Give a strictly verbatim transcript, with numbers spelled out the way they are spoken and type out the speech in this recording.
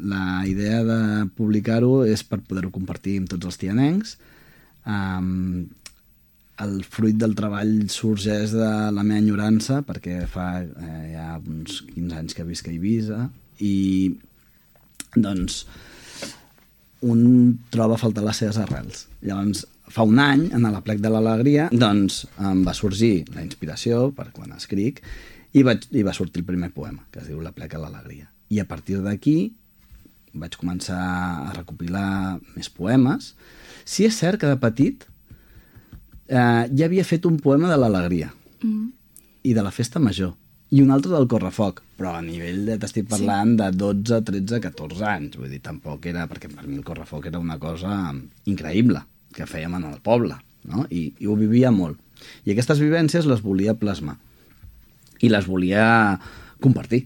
la idea de publicar-ho és per poder-ho compartir amb tots els tianencs. Um, el fruit del treball sorgeix de la meva enyorança, perquè fa eh, ja uns quinze anys que visc a Eivissa, i doncs un troba a faltar les seves arrels. Llavors, fa un any, en l'Aplec de l'Alegria, doncs em va sorgir la inspiració per quan escric i, vaig, i va sortir el primer poema, que es diu L'Aplec a l'Alegria. I a partir d'aquí vaig començar a recopilar més poemes. Sí és cert que de petit eh, ja havia fet un poema de l'Alegria mm. i de la Festa Major i un altre del Correfoc, però a nivell de, t'estic parlant sí. de dotze, tretze, catorze anys, vull dir, tampoc era, perquè per mi el Correfoc era una cosa increïble que fèiem en el poble, no? I, i ho vivia molt. I aquestes vivències les volia plasmar i les volia compartir.